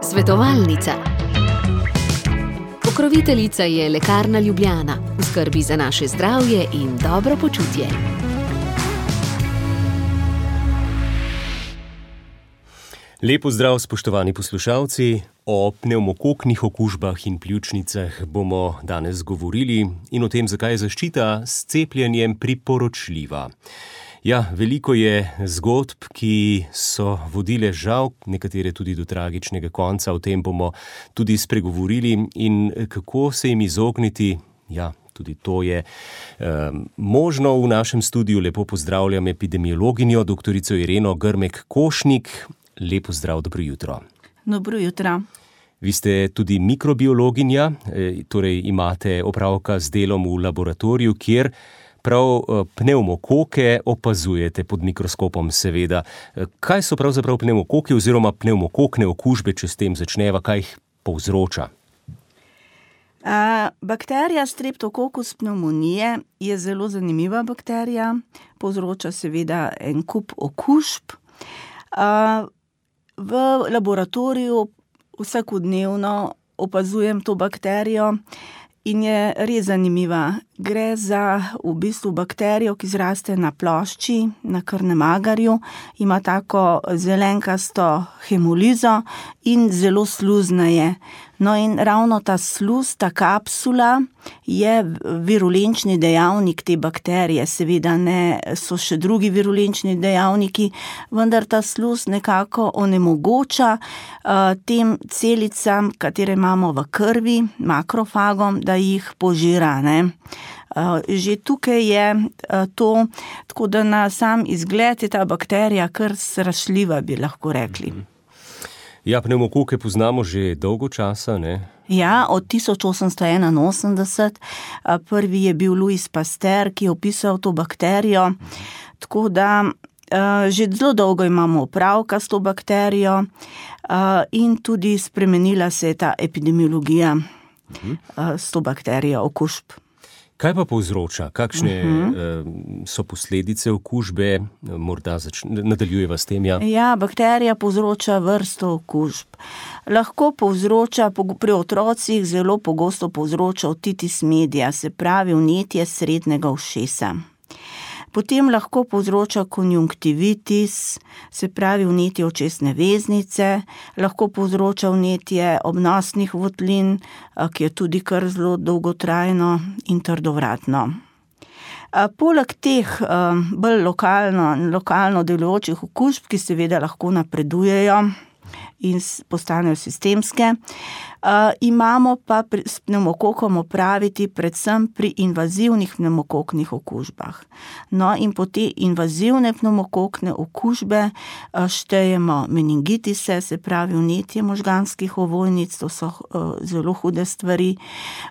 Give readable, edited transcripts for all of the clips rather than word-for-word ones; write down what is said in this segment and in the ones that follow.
Svetovalnica. Pokroviteljica je Lekarna Ljubljana, v skrbi za naše zdravje in dobro počutje. Lepo zdrav, spoštovani poslušalci. O pnevmokoknih okužbah in pljučnicah bomo danes govorili in o tem, zakaj je zaščita s cepljenjem priporočljiva. Ja, veliko je zgodb, ki so vodile žal, nekatere tudi do tragičnega konca. O tem bomo tudi spregovorili in kako se jim izogniti. Ja, tudi to je možno. V našem studiu lepo pozdravljam epidemiologinjo, doktorico Ireno Grmek-Košnik. Lepo zdrav, dobro jutro. Dobro jutro. Vi ste tudi mikrobiologinja, torej imate opravka z delom v laboratoriju, kjer prav pnevmokoke opazujete pod mikroskopom, seveda. Kaj so pravzaprav pnevmokoki oziroma pnevmokokne okužbe, če s tem začneva, kaj jih povzroča? Bakterija Streptococcus pneumoniae je zelo zanimiva bakterija, povzroča seveda en kup okužb. V laboratoriju vsakodnevno opazujem to bakterijo in je res zanimiva. Gre za v bistvu bakterijo, ki zraste na plošči, na krvnem agarju, ima tako zelenkasto hemolizo in zelo sluzna je. No in ravno ta sluz, ta kapsula je virulenčni dejavnik te bakterije. Seveda ne, so še drugi virulenčni dejavniki, vendar ta sluz nekako onemogoča tem celicam, katere imamo v krvi, makrofagom, da jih požira, ne. Že tukaj je to, tako da na sam izgled je ta bakterija kar strašljiva, bi lahko rekli. Ja, pnevmokoke poznamo že dolgo časa, ne? Ja, od 1881. Prvi je bil Louis Pasteur, ki je opisal to bakterijo. Tako da že zelo dolgo imamo opravka s to bakterijo in tudi spremenila se je ta epidemiologija s to bakterijo okužb. Kaj pa povzroča? Kakšne so posledice okužbe? Morda nadaljujeva s tem, ja? Ja, bakterija povzroča vrsto okužb. Lahko povzroča, pri otrocih zelo pogosto povzroča otitis media, se pravi vnetje srednjega ušesa. Potem lahko povzroča konjunktivitis, se pravi vnetje očesne veznice, lahko povzroča vnetje obnosnih votlin, ki je tudi kar zelo dolgotrajno in trdovratno. Poleg teh bolj lokalno delujočih okužb, ki seveda lahko napredujejo in postanejo sistemske, imamo pa s pnevmokokom opraviti predvsem pri invazivnih pnevmokoknih okužbah. No in po te invazivne pnevmokokne okužbe štejemo meningitise, se pravi vnetje možganskih ovojnic, to so zelo hude stvari.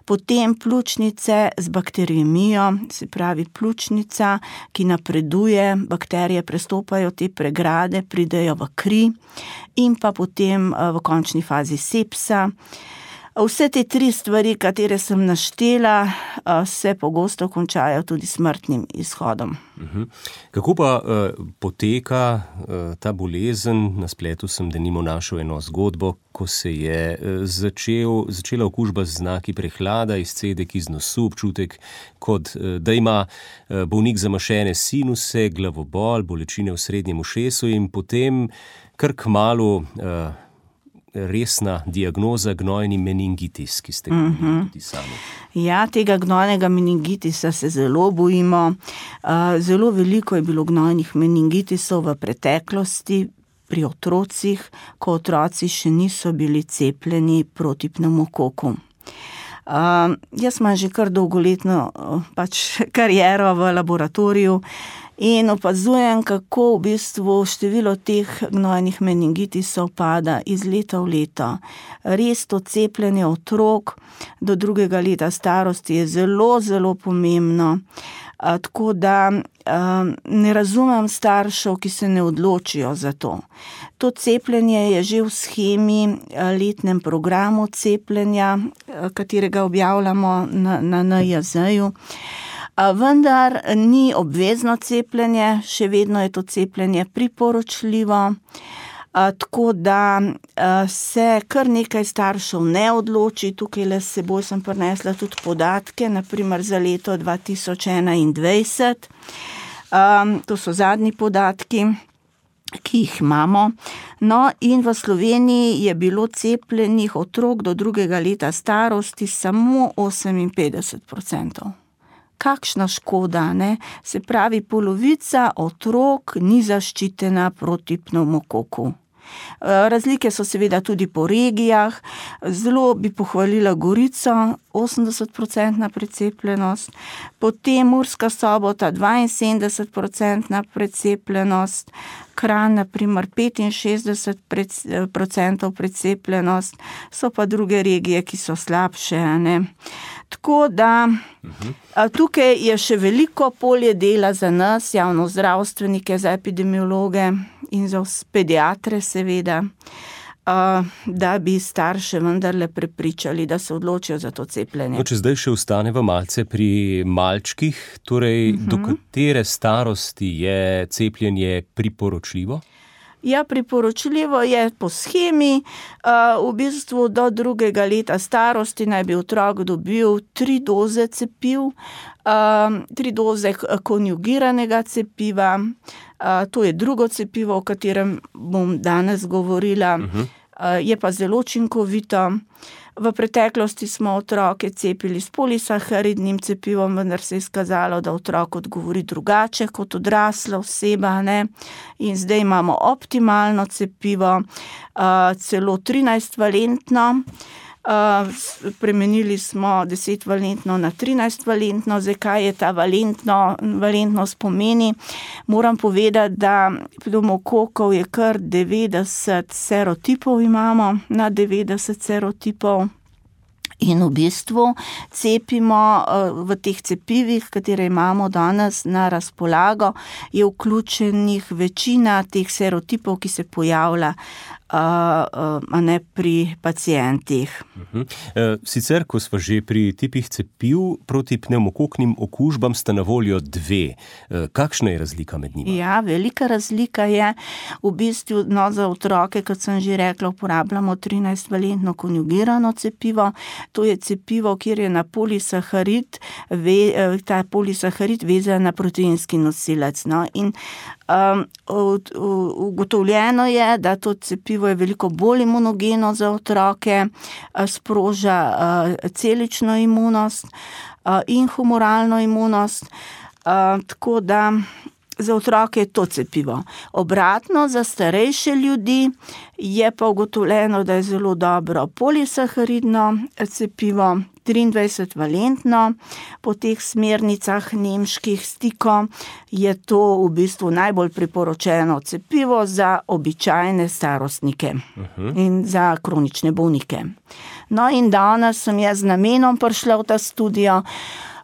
Potem pljučnice z bakteriemijo, se pravi pljučnica, ki napreduje, bakterije prestopajo te pregrade, pridejo v kri in pa potem v končni fazi sepsa. Vse te tri stvari, katere sem naštela, se pogosto končajo tudi smrtnim izhodom. Kako pa poteka ta bolezen? Na spletu sem denimo našel eno zgodbo, ko se je začela okužba z znaki prehlada, izcedek iz nosu, občutek, kot da ima bolnik zamašene sinuse, glavobol, bolečine v srednjem ušesu in potem kar kmalu resna diagnoza gnojni meningitis, ki ste govorili tudi sami. Ja, tega gnojnega meningitisa se zelo bojimo. Zelo veliko je bilo gnojnih meningitisov v preteklosti pri otrocih, ko otroci še niso bili cepljeni proti pnevmokoku. Jaz imam že kar dolgoletno kariero v laboratoriju in opazujem, kako v bistvu število teh gnojnih meningitisov pada iz leta v leto. Res to cepljenje otrok do 2. leta starosti je zelo, zelo pomembno. Tako da ne razumem staršev, ki se ne odločijo za to. To cepljenje je že v shemi, letnem programu cepljenja, katerega objavljamo na NIJZ-ju. Vendar ni obvezno cepljenje, še vedno je to cepljenje priporočljivo. Tako da se kar nekaj staršev ne odloči. Tukaj le s seboj sem prinesla tudi podatke, naprimer za leto 2021. To so zadnji podatki, ki jih imamo. No, in v Sloveniji je bilo cepljenih otrok do 2. leta starosti samo 58%. Kakšna škoda, ne? Se pravi, polovica otrok ni zaščitena proti pnevmokoku. Razlike so seveda tudi po regijah. Zelo bi pohvalila Gorico, 80% precepljenost, potem Murska Sobota 72% precepljenost, Kranj na primer 65% precepljenost, so pa druge regije, ki so slabše, ne. Tako da tukaj je še veliko polje dela za nas, javnozdravstvenike, za epidemiologe in za pediatre seveda, da bi starše vendarle prepričali, da se odločijo za to cepljenje. No, če zdaj še ostaneva malce pri malčkih, torej do katere starosti je cepljenje priporočljivo? Ja, priporočljivo je po shemi, v bistvu do 2. leta starosti naj bi otrok dobil 3 doze cepiv, 3 doze konjugiranega cepiva, to je drugo cepivo, o katerem bom danes govorila, je pa zelo učinkovito. V preteklosti smo otroke cepili s polisaharidnim cepivom, vendar se je izkazalo, da otrok odgovori drugače kot odrasla oseba, ne. In zdaj imamo optimalno cepivo, celo 13-valentno. Spremenili smo 10-valentno na 13-valentno. Zdaj, kaj je ta valentnost pomeni? Moram povedati, da pnevmokokov je kar 90 serotipov imamo, na 90 serotipov. In v bistvu cepimo v teh cepivih, katere imamo danes na razpolago, je vključenih večina teh serotipov, ki se pojavlja ne pri pacientih. Sicer, ko smo že pri tipih cepiv proti pnevmokoknim okužbam, sta na voljo 2. Kakšna je razlika med njima? Ja, velika razlika je v bistvu, za otroke, kot sem že rekla, uporabljamo 13-valentno konjugirano cepivo. To je cepivo, kjer je na polisaharid, ta polisaharid vezan na proteinski nosilec. No? In ugotovljeno je, da to cepivo je veliko bolj imunogeno za otroke, sproža celično imunost in humoralno imunost, tako da za otroke je to cepivo. Obratno, za starejše ljudi je pa ugotovljeno, da je zelo dobro polisaharidno cepivo, 23-valentno. Po teh smernicah nemških STIKO je to v bistvu najbolj priporočeno cepivo za običajne starostnike in za kronične bolnike. No in danes sem jaz z namenom prišla v ta studio,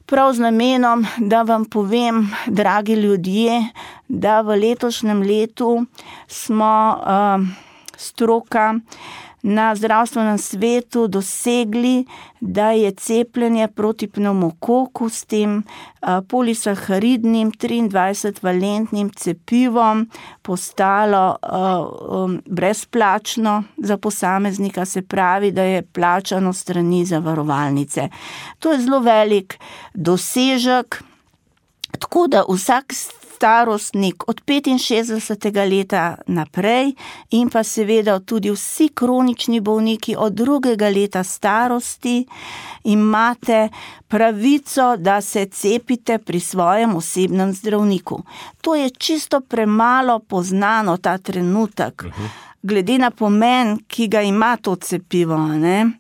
prav z namenom, da vam povem, dragi ljudje, da v letošnjem letu smo stroka na zdravstvenem svetu dosegli, da je cepljenje proti pnevmokoku s tem polisaharidnim 23-valentnim cepivom postalo brezplačno za posameznika, se pravi, da je plačano strani zavarovalnice. To je zelo velik dosežek, tako da vsak starostnik od 65. leta naprej in pa seveda tudi vsi kronični bolniki od 2. leta starosti imate pravico, da se cepite pri svojem osebnem zdravniku. To je čisto premalo poznano ta trenutek, glede na pomen, ki ga ima to cepivo, ne.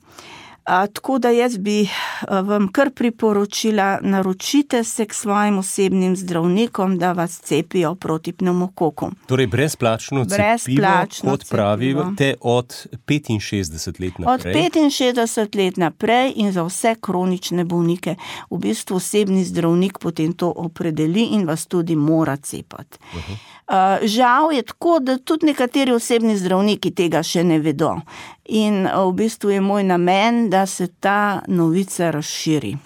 Tako da jaz bi vam kar priporočila, naročite se k svojim osebnim zdravnikom, da vas cepijo proti pnevmokoku. Torej brezplačno cepivo, kot pravite, od 65 let naprej? Od 65 let naprej in za vse kronične bolnike. V bistvu osebni zdravnik potem to opredeli in vas tudi mora cepati. Žal je tako, da tudi nekateri osebni zdravniki tega še ne vedo. In v bistvu je moj namen, da se ta novica razširi.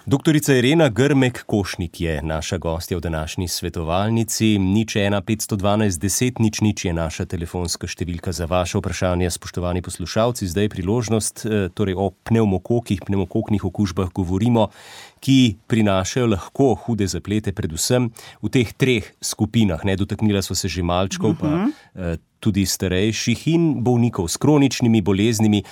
Doktorica Irena Grmek-Košnik je naša gostja v današnji svetovalnici. 01 512 10 00 je naša telefonska številka za vaše vprašanje. Spoštovani poslušalci, zdaj je priložnost, torej o pnevmokoknih okužbah govorimo, ki prinašajo lahko hude zaplete, predvsem v teh treh skupinah. Dotaknila so se že malčkov, pa tudi starejših in bolnikov s kroničnimi boleznimi.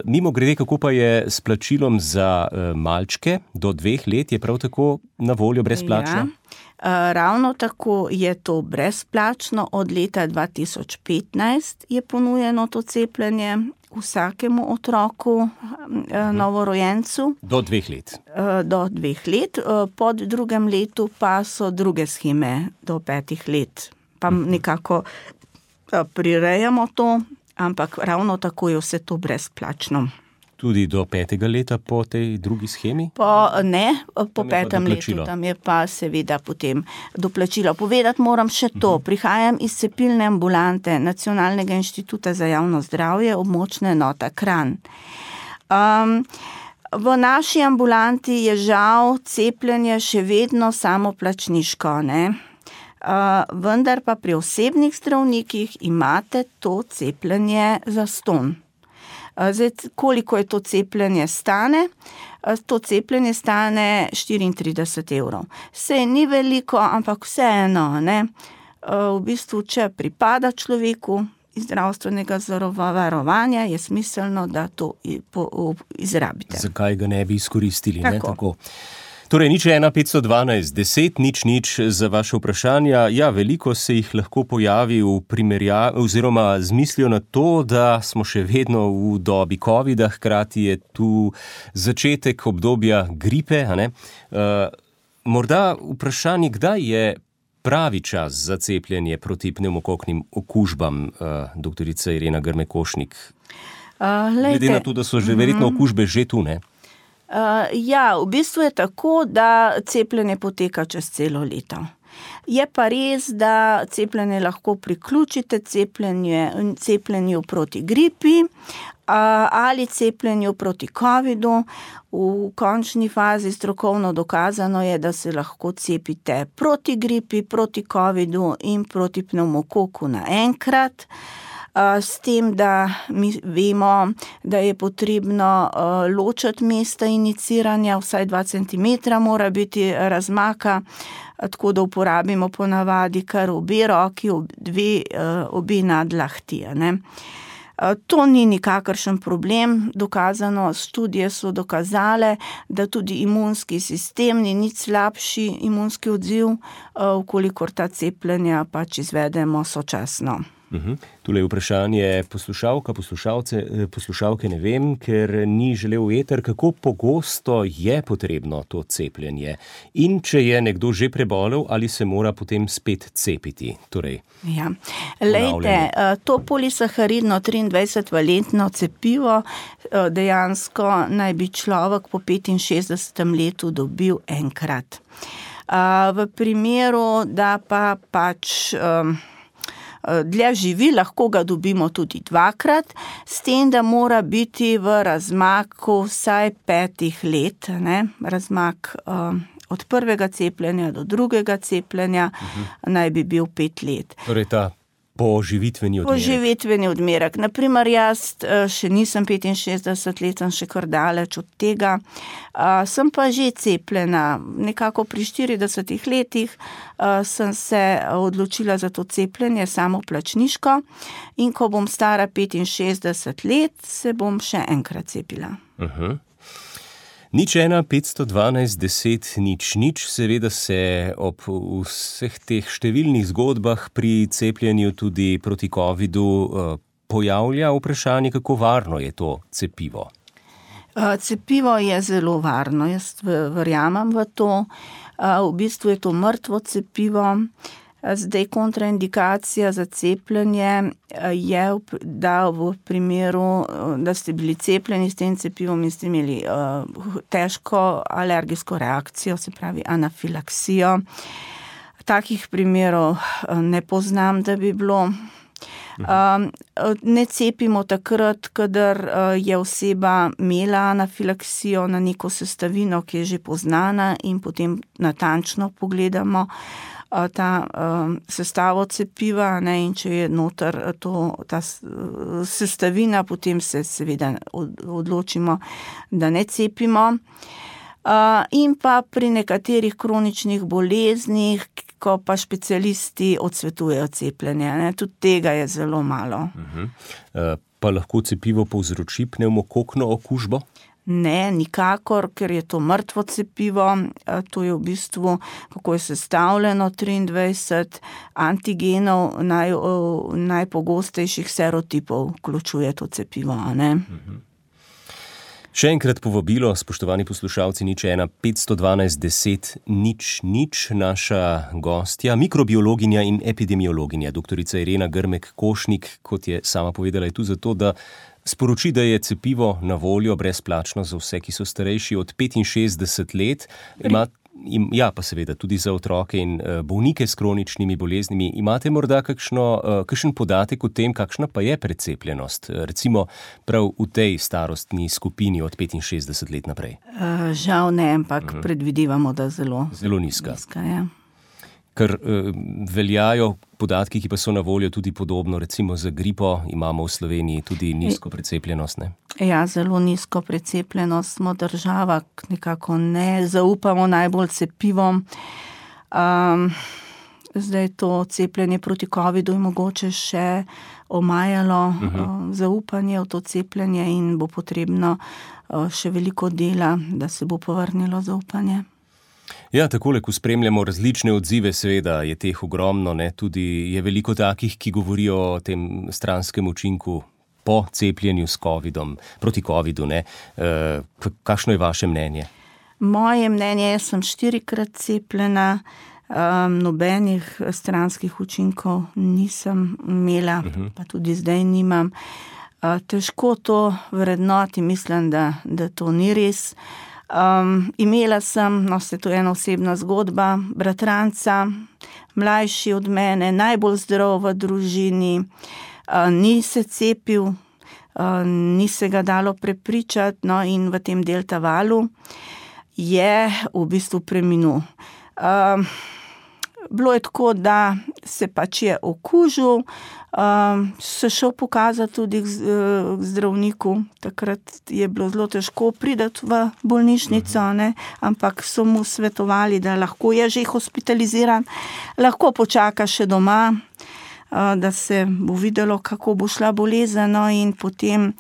Mimogrede, kako pa je s plačilom za malčke do 2 let, je prav tako na voljo brezplačno? Ja, ravno tako je to brezplačno. Od leta 2015 je ponujeno to cepljenje vsakemu otroku, novorojencu. Do 2 let. Do 2 let. Po 2. letu pa so druge sheme do 5 let. Pa nekako prirejamo to, ampak ravno tako je vse to brezplačno. Tudi do 5. leta po tej drugi shemi? Po 5. letu, tam je pa seveda potem doplačilo. Povedati moram še to, prihajam iz cepilne ambulante Nacionalnega inštituta za javno zdravje, območna enota Kranj. V naši ambulanti je žal cepljenje še vedno samoplačniško, ne? Vendar pa pri osebnih zdravnikih imate to cepljenje zastonj. Zdaj, koliko je to cepljenje stane? To cepljenje stane 34 evrov. Sej ni veliko, ampak vseeno, ne? V bistvu, če pripada človeku iz zdravstvenega zavarovanja, je smiselno, da to izrabite. Zakaj ga ne bi izkoristili? Tako. Torej, 01 512 10 00 za vaše vprašanja. Ja, veliko se jih lahko pojavi v primerjavi oziroma z mislijo na to, da smo še vedno v dobi covida, hkrati je tu začetek obdobja gripe, a ne? Morda vprašanje, kdaj je pravi čas za cepljenje proti pnevmokoknim okužbam, doktorica Irena Grmek-Košnik? Glede na to, da so že verjetno okužbe že tu, ne? Ja, v bistvu je tako, da cepljenje poteka čez celo leto. Je pa res, da cepljenje lahko priključite cepljenju proti gripi ali cepljenju proti covidu. V končni fazi strokovno dokazano je, da se lahko cepite proti gripi, proti covidu in proti pnevmokoku naenkrat. S tem, da mi vemo, da je potrebno ločiti mesta iniciranja, vsaj 2 cm mora biti razmaka, tako da uporabimo ponavadi kar obe roki, obe nadlahti, ne. To ni nikakršen problem, dokazano, študije so dokazale, da tudi imunski sistem ni nič slabši imunski odziv, vkolikor ta cepljenja pač izvedemo sočasno. Tule je vprašanje poslušalke ne vem, ker ni želel eter, kako pogosto je potrebno to cepljenje in če je nekdo že prebolel, ali se mora potem spet cepiti. Ja. Lejte, to polisaharidno 23-valentno cepivo dejansko naj bi človek po 65. letu dobil enkrat. V primeru, da pa pač dlje živi, lahko ga dobimo tudi 2-krat, s tem, da mora biti v razmaku vsaj 5 let, ne? Razmak od prvega cepljenja do drugega cepljenja naj bi bil 5 let. Torej ta poživitveni odmerek. Poživitveni odmerek. Naprimer, jaz še nisem 65 let, sem še kar daleč od tega. Sem pa že cepljena. Nekako pri 40 letih sem se odločila za to cepljenje samoplačniško in ko bom stara 65 let, se bom še enkrat cepila. 01 512 10 00, seveda se ob vseh teh številnih zgodbah pri cepljenju tudi proti covidu pojavlja vprašanje, kako varno je to cepivo. Cepivo je zelo varno, jaz verjamem v to. V bistvu je to mrtvo cepivo. Zdaj kontraindikacija za cepljenje je, da v primeru, da ste bili cepljeni s tem cepivom in ste imeli težko alergijsko reakcijo, se pravi anafilaksijo. Takih primerov ne poznam, da bi bilo. Ne cepimo takrat, kadar je oseba imela anafilaksijo na neko sestavino, ki je že poznana, in potem natančno pogledamo ta sestavo cepiva, ne, in če je noter ta sestavina, potem se seveda odločimo, da ne cepimo. In pa pri nekaterih kroničnih boleznih, ko pa specialisti odsvetujejo cepljenje, ne, tudi tega je zelo malo. Pa lahko cepivo povzroči pnevmokokno okužbo? Ne, nikakor, ker je to mrtvo cepivo. To je v bistvu, kako je sestavljeno, 23 antigenov najpogostejših serotipov vključuje to cepivo, ne. Še enkrat povabilo, spoštovani poslušalci, 01 512 10 00. Naša gostja, mikrobiologinja in epidemiologinja, doktorica Irena Grmek-Košnik, kot je sama povedala, je tu zato, da sporoči, da je cepivo na voljo brezplačno za vse, ki so starejši od 65 let. Pa seveda tudi za otroke in bolnike s kroničnimi boleznimi. Imate morda kakšen podatek o tem, kakšna pa je precepljenost, recimo prav v tej starostni skupini od 65 let naprej? Žal ne, ampak predvidevamo, da zelo nizka. Ja. Ker veljajo podatki, ki pa so na voljo tudi podobno, recimo za gripo imamo v Sloveniji tudi nizko precepljenost, ne? Ja, zelo nizko precepljenost smo država, nekako ne zaupamo najbolj cepivom. Zdaj to cepljenje proti covidu je mogoče še omajalo zaupanje v to cepljenje in bo potrebno še veliko dela, da se bo povrnilo zaupanje. Ja, takole, ko spremljamo različne odzive, seveda je teh ogromno, ne, tudi je veliko takih, ki govorijo o tem stranskem učinku po cepljenju s covidom, proti covidu, ne. Kakšno je vaše mnenje? Moje mnenje, jaz sem 4-krat cepljena, nobenih stranskih učinkov nisem imela, pa tudi zdaj nimam. Težko to vrednoti, mislim, da to ni res. Imela sem, to je ena osebna zgodba, bratranca, mlajši od mene, najbolj zdrav v družini, ni se cepil, ni se ga dalo prepričati, in v tem delta valu je v bistvu preminul. Bilo je tako, da se pač je okužil, se šel pokazati tudi k zdravniku. Takrat je bilo zelo težko priti v bolnišnico, ne? Ampak so mu svetovali, da lahko je že hospitaliziran, lahko počaka še doma, da se bo videlo, kako bo šla bolezen, in potem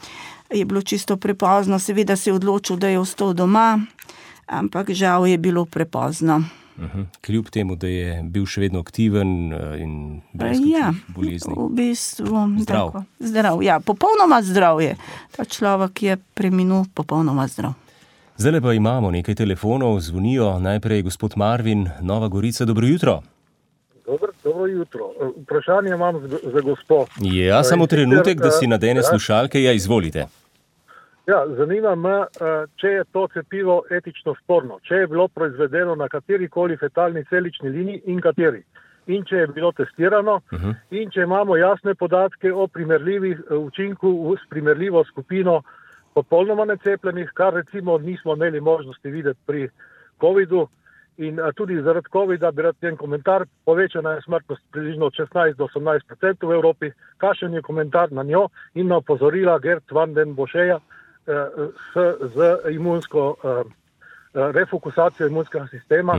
je bilo čisto prepozno. Seveda se je odločil, da je ostal doma, ampak žal je bilo prepozno. Kljub temu, da je bil še vedno aktiven in brez kakšnih bolezni. V bistvu zdrav. Zdrav, ja, popolnoma zdrav je. Ta človek je preminul popolnoma zdrav. Zdaj pa imamo nekaj telefonov, zvonijo. Najprej gospod Marvin, Nova Gorica, dobro jutro. Dobro jutro. Vprašanje imam za gospo. Ja, samo trenutek, da si nadene slušalke. Ja, izvolite. Ja, zanima me, če je to cepivo etično sporno, če je bilo proizvedeno na katerikoli fetalni celični liniji in kateri. In če je bilo testirano, in če imamo jasne podatke o primerljivih učinku s primerljivo skupino popolnoma necepljenih, kar recimo nismo imeli možnosti videti pri covidu. In tudi zaradi covida bi rad en komentar, povečana je smrtnost približno od 16 do 18% v Evropi. Kakšen je komentar na njo in na opozorila Gert van den Boscheja z imunsko refokusacijo imunskega sistema,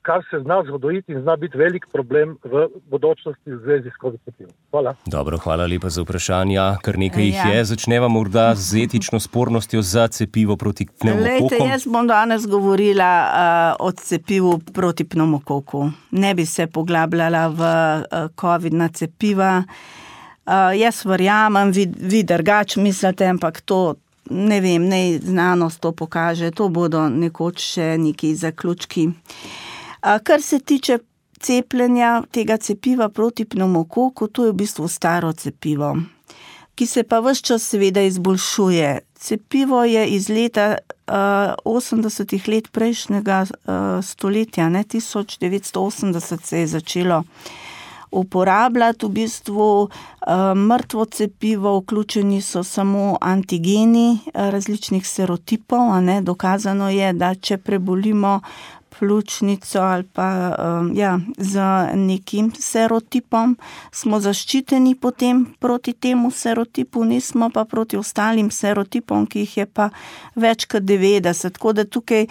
kar se zna zgoditi in zna biti velik problem v bodočnosti v zvezi s COVID-19. Hvala. Dobro, hvala lepa za vprašanja. Kar nekaj jih je. Začneva morda z etično spornostjo za cepivo proti pnevmokokom. Lejte, jaz bom danes govorila o cepivu proti pnevmokoku. Ne bi se poglabljala v COVID-na cepiva. Jaz verjamem, vi drugače mislite, ampak to ne vem, znanost to pokaže, to bodo nekoč še neki zaključki. Kar se tiče cepljenja tega cepiva proti pnevmokoku, to je v bistvu staro cepivo, ki se pa ves čas seveda izboljšuje. Cepivo je iz leta 80 let prejšnjega stoletja, 1980 se je začelo uporabljati. V bistvu mrtvo cepivo, vključeni so samo antigeni različnih serotipov, a ne, dokazano je, da če prebolimo pljučnico ali pa z nekim serotipom, smo zaščiteni potem proti temu serotipu, nismo pa proti ostalim serotipom, ki jih je pa več kot 90. Tako da tukaj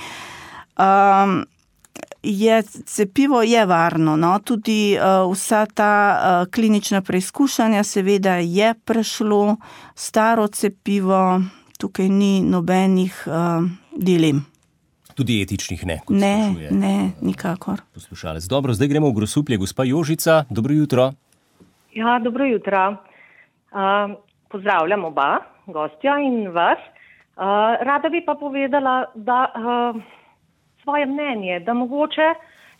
cepivo je varno, no, tudi vsa ta klinična preizkušanja seveda je prešlo, staro cepivo, tukaj ni nobenih dilem. Tudi etičnih ne, kot sprašuje. Ne, nikakor. Poslušalec. Dobro, zdaj gremo v Grosuplje. Gospa Jožica, dobro jutro. Ja, dobro jutro. Pozdravljam oba gostja in vas. Rada bi pa povedala, da svoje mnenje, da mogoče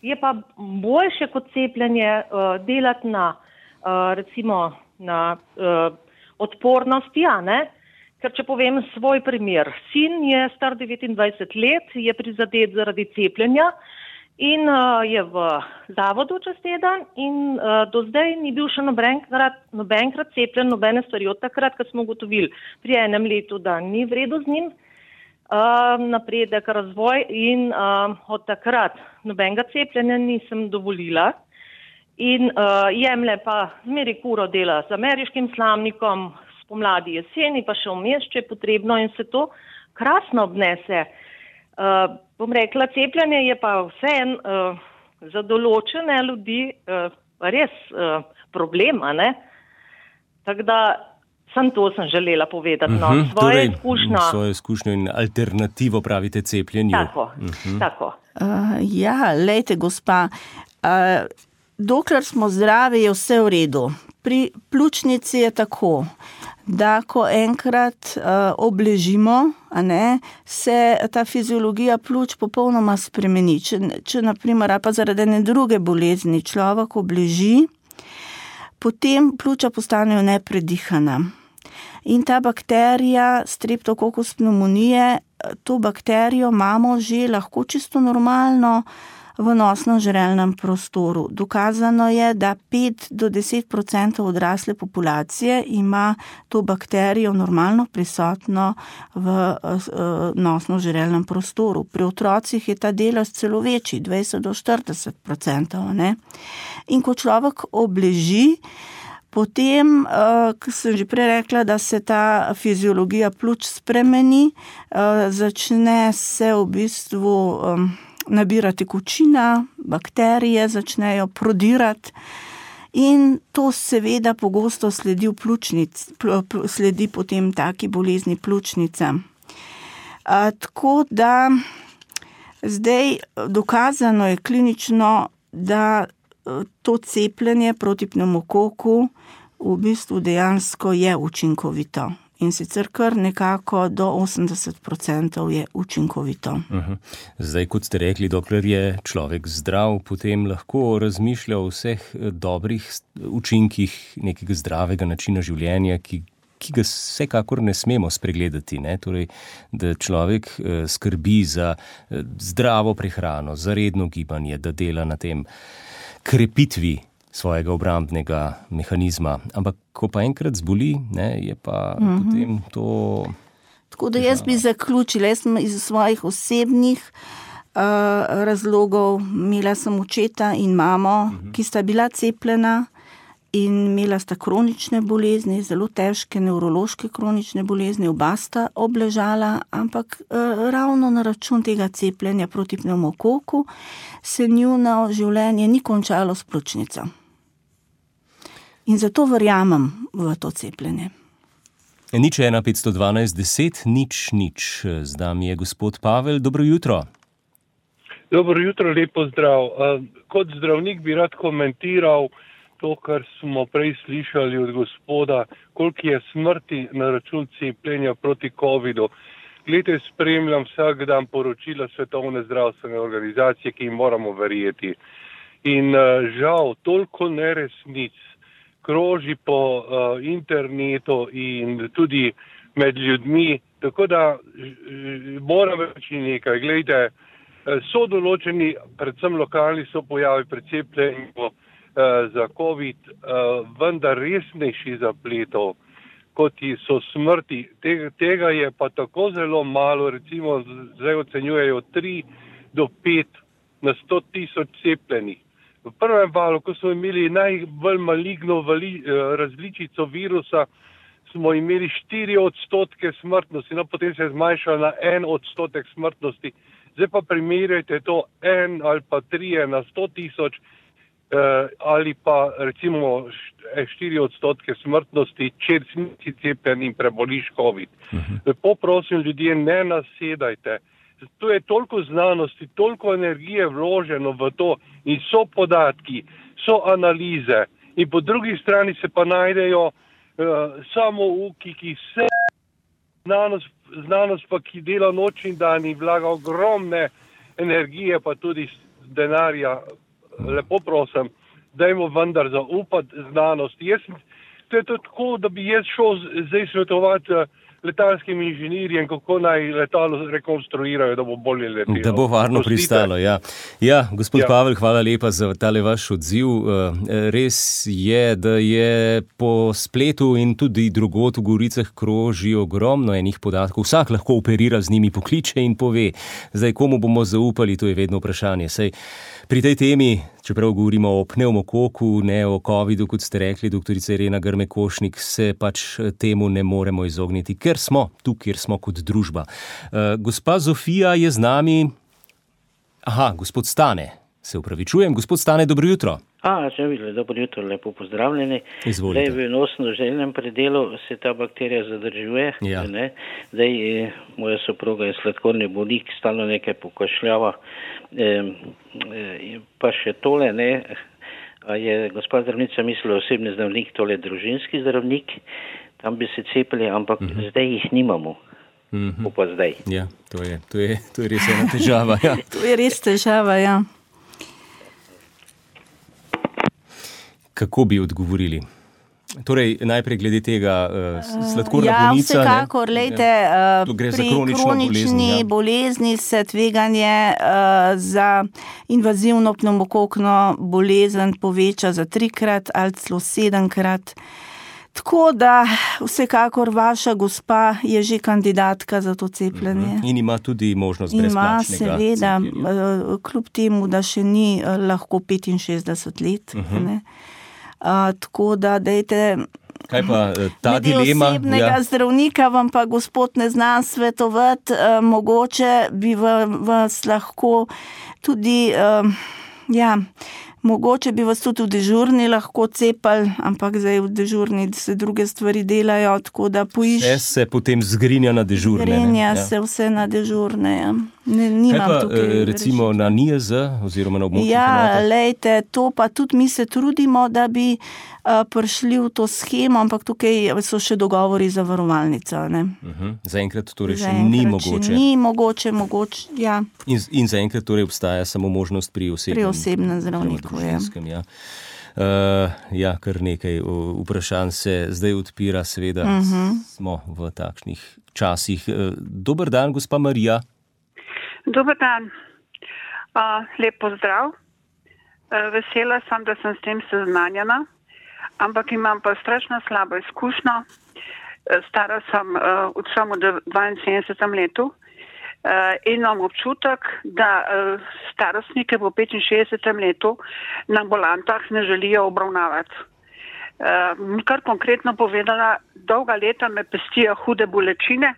je pa boljše kot cepljenje delati na, recimo, na odpornosti, a ne? Ker če povem svoj primer, sin je star 29 let, je prizadet zaradi cepljenja in je v zavodu čez teden in do zdaj ni bil še nobenkrat cepljen, nobene stvari od takrat, ko smo ugotovili pri enem letu, da ni v redu z njim, napredek, razvoj in od takrat nobenega cepljenja nisem dovolila in jemlje pa zmeri kuro dela z ameriškim slamnikom, pomladi, jeseni, pa še vmes, če je potrebno in se to krasno obnese. Bom rekla, cepljenje je pa vseeno za določene ljudi res problem, a ne? Tako da samo to sem želela povedati. No, svojo izkušnjo in alternativo pravite cepljenju. Tako. Ja, lejte, gospa, dokler smo zdravi, je vse v redu. Pri pljučnici je tako, da ko enkrat obležimo, a ne, se ta fiziologija pljuč popolnoma spremeni. Če naprimer, pa zaradi ene druge bolezni človek obleži, potem pljuča postanejo nepredihana. In ta bakterija, Streptococcus pneumoniae, to bakterijo imamo že lahko čisto normalno v nosno-žrelnem prostoru. Dokazano je, da 5 do 10% odrasle populacije ima to bakterijo normalno prisotno v nosno-žrelnem prostoru. Pri otrocih je ta delež celo večji, 20 do 40%. Ne? In ko človek obleži, potem, ko sem že prej rekla, da se ta fiziologija pljuč spremeni, začne se v bistvu nabira tekočina, bakterije začnejo prodirati in to seveda pogosto sledi sledi potem taki bolezni pljučnica. Tako da zdaj dokazano je klinično, da to cepljenje proti pnevmokoku v bistvu dejansko je učinkovito. In sicer kar nekako do 80% je učinkovito. Zdaj, kot ste rekli, dokler je človek zdrav, potem lahko razmišlja o vseh dobrih učinkih nekega zdravega načina življenja, ki ga vsekakor ne smemo spregledati. Ne? Torej, da človek skrbi za zdravo prehrano, za redno gibanje, da dela na tem krepitvi svojega obrambnega mehanizma. Ampak, ko pa enkrat zboli, ne, je pa potem to... Tako da jaz bi zaključila, jaz sem iz svojih osebnih razlogov, imela sem očeta in mamo, ki sta bila cepljena in imela sta kronične bolezni, zelo težke nevrološke kronične bolezni, oba sta obležala, ampak ravno na račun tega cepljenja proti pnevmokoku se njuno življenje ni končalo s pljučnico. In zato verjamem v to cepljenje. 01 512 10 0 0. Z nami je gospod Pavel. Dobro jutro. Dobro jutro, lepo zdrav. Kot zdravnik bi rad komentiral to, kar smo prej slišali od gospoda, koliko je smrti na račun cepljenja proti covidu. Glede, spremljam vsak dan poročila Svetovne zdravstvene organizacije, ki jim moramo verjeti. In žal, toliko neresnic kroži po internetu in tudi med ljudmi, tako da moram reči nekaj. Glejte, so določeni, predvsem lokalni, so pojavi pri cepljenju za COVID, vendar resnejši zapletov, kot so smrti. Tega je pa tako zelo malo, recimo zdaj ocenjujejo 3 do 5 na 100,000 cepljenih. V prvem valu, ko smo imeli najbolj maligno različico virusa, smo imeli 4% smrtnosti, no potem se je zmanjšalo na 1% smrtnosti. Zdaj pa primerjajte to 1 ali pa 3 na 100,000 ali pa recimo 4% smrtnosti, če si cepljen in preboliš COVID. Lepo prosim, ljudje, ne nasedajte. Tu je toliko znanosti, toliko energije vloženo v to in so podatki, so analize in po drugi strani se pa najdejo samouki, ki se znanost pa, ki dela noč in dan in vlaga ogromne energije, pa tudi denarja. Lepo prosim, dajmo vendar zaupati znanosti. To je tako, da bi jaz šel zdaj svetovati letalskim inženirjem, kako naj letalo rekonstruirajo, da bo bolje letelo. Da bo varno pristalo, ja. Ja, gospod Pavel, hvala lepa za tale vaš odziv. Res je, da je po spletu in tudi drugod v Goricah kroži ogromno enih podatkov. Vsak lahko operira z njimi, pokliče in pove. Zdaj, komu bomo zaupali, to je vedno vprašanje. Saj pri tej temi, čeprav govorimo o pnevmokoku, ne o covidu, kot ste rekli, doktorica Irena Grme-Košnik, se pač temu ne moremo izogniti, ker smo tu, kjer smo kot družba. Gospa Zofija je z nami. Aha, gospod Stane, se upravičujem. Gospod Stane, dobro jutro. Dobro jutro, lepo pozdravljeni. Izvolite. Zdaj v nosno-željnem predelu se ta bakterija zadržuje. Ja. Ne? Zdaj moja soproga je sladkorni bolnik, stalno nekaj pokašljava. Pa še tole, ne? A je gospa zdravnica mislila osebni zdravnik, tole družinski zdravnik, tam bi se cepili, ampak zdaj jih nimamo. Pa zdaj. Ja, to je res ena težava. Ja. To je res težava, ja. Kako bi odgovorili? Torej, najprej glede tega sladkorna bolnica. Ja, vsekakor, lejte, pri kronični bolezni se tveganje za invazivno pnevmokokno bolezen poveča za 3-krat ali celo 7-krat. Tako da vsekakor vaša gospa je že kandidatka za to cepljenje. In ima tudi možnost brezplačnega cepljenja. Ima, seveda, kljub temu, da še ni lahko 65 let. Ne? Tako da dajte... Kaj pa ta dilema? Osebnega zdravnika vam pa gospod ne znam svetovati, mogoče bi vas lahko tudi, mogoče bi vas tudi v dežurni lahko cepali, ampak zdaj v dežurni se druge stvari delajo, tako da Vse se potem zgrinja na dežurne. Zgrinja se vse na dežurne, ja. Kaj pa recimo na NIJZ oziroma na območnih enotah? Ja, lejte, to pa tudi mi se trudimo, da bi prišli v to shemo, ampak tukaj so še dogovori za varovalnico. Zaenkrat torej še ni mogoče. Ni mogoče, ja. In zaenkrat torej obstaja samo možnost pri osebnem zdravniku. Ja, kar nekaj vprašanj se zdaj odpira, seveda smo v takšnih časih. Dober dan, gospa Marija. Dober dan. Lep pozdrav. Vesela sem, da sem s tem seznanjena, ampak imam pa strašno slabo izkušnjo. Stara sem od samo 72 letu in imam občutek, da starostnike po 65 letu na ambulantah ne želijo obravnavati. Kar konkretno povedala, dolga leta me pestijo hude bolečine.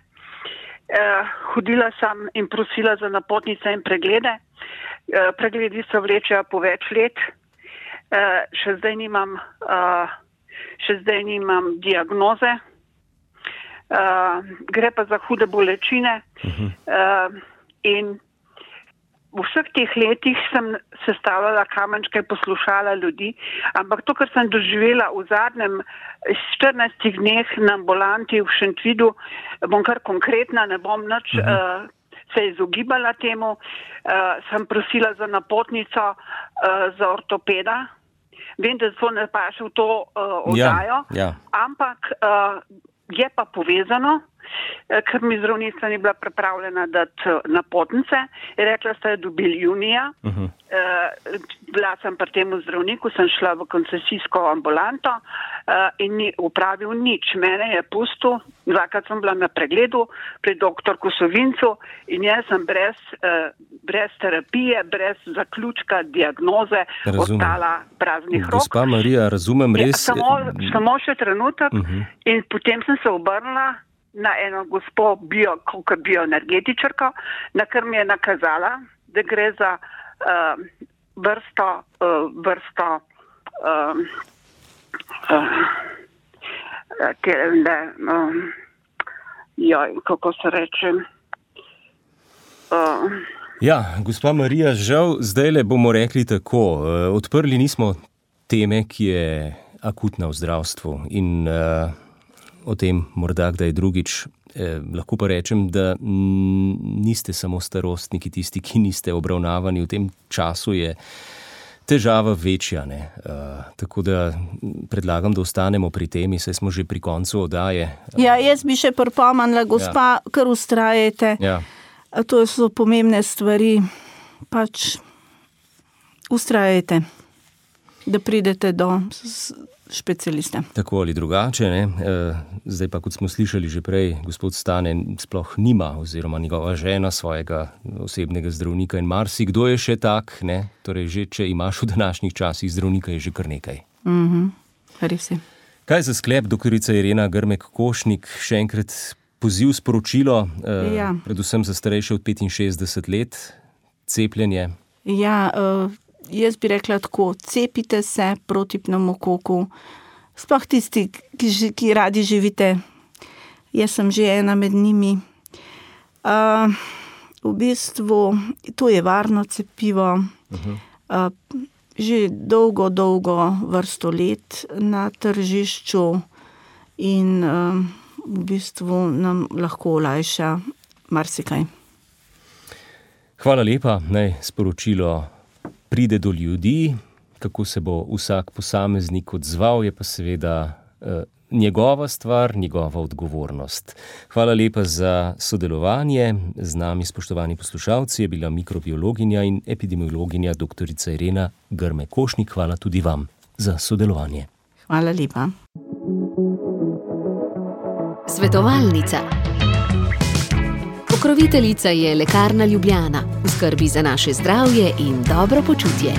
Hodila sem in prosila za napotnice in preglede. Pregledi se vlečejo po več let. Še zdaj nimam diagnoze. Gre pa za hude bolečine. In v vseh teh letih sem sestavljala kamenčke, poslušala ljudi, ampak to, kar sem doživela v zadnjem 14 dneh na ambulanti v Šentvidu, bom kar konkretna, ne bom nič se izogibala temu, sem prosila za napotnico za ortopeda. Vem, da to ne paše v to oddajo, ampak je pa povezano. ker mi zdravnica ni bila pripravljena dati napotnice. Je rekla, da je dobili junija. Bila sem pri temu zdravniku, sem šla v koncesijsko ambulanto in ni upravil nič. Mene je pustil, dvakrat sem bila na pregledu pri doktorku Sovincu in jaz sem brez terapije, brez zaključka diagnoze ostala praznih rok. Gospa Marija, razumem res. Samo še trenutek in potem sem se obrnila na eno gospo bioenergetičarko, na kar mi je nakazala, da gre za vrsto kako se reče. Ja, gospa Marija, žal, zdajle bomo rekli tako. Odprli nismo teme, ki je akutna v zdravstvu in o tem morda kdaj drugič. Lahko pa rečem, da niste samo starostniki, tisti, ki niste obravnavani. V tem času je težava večja. Tako da predlagam, da ostanemo pri temi, saj smo že pri koncu oddaje. Ja, jaz bi še pripomnila, gospa, kar ustrajajte. Ja. To so pomembne stvari. Pač ustrajajte, da pridete do specialista. Tako ali drugače, ne? Zdaj pa, kot smo slišali že prej, gospod Stane sploh nima oziroma njegova žena svojega osebnega zdravnika in marsikdo je še tak, ne? Torej že, če imaš v današnjih časih zdravnika, je že kar nekaj. Res je. Kaj za sklep, doktorica Irena Grmek-Košnik, še enkrat poziv, sporočilo, predvsem za starejše od 65 let, cepljenje? Ja, jaz bi rekla tako, cepite se proti pnevmokoku, sploh tisti, ki radi živite. Jaz sem že ena med njimi. V bistvu, to je varno cepivo. Že dolgo vrsto let na tržišču in v bistvu nam lahko olajša marsikaj. Hvala lepa, naj sporočilo pride do ljudi, kako se bo vsak posameznik odzval, je pa seveda njegova stvar, njegova odgovornost. Hvala lepa za sodelovanje. Z nami, spoštovani poslušalci, je bila mikrobiologinja in epidemiologinja doktorica Irena Grmek-Košnik. Hvala tudi vam za sodelovanje. Hvala lepa. Svetovalnica. Pokroviteljica je Lekarna Ljubljana. V skrbi za naše zdravje in dobro počutje.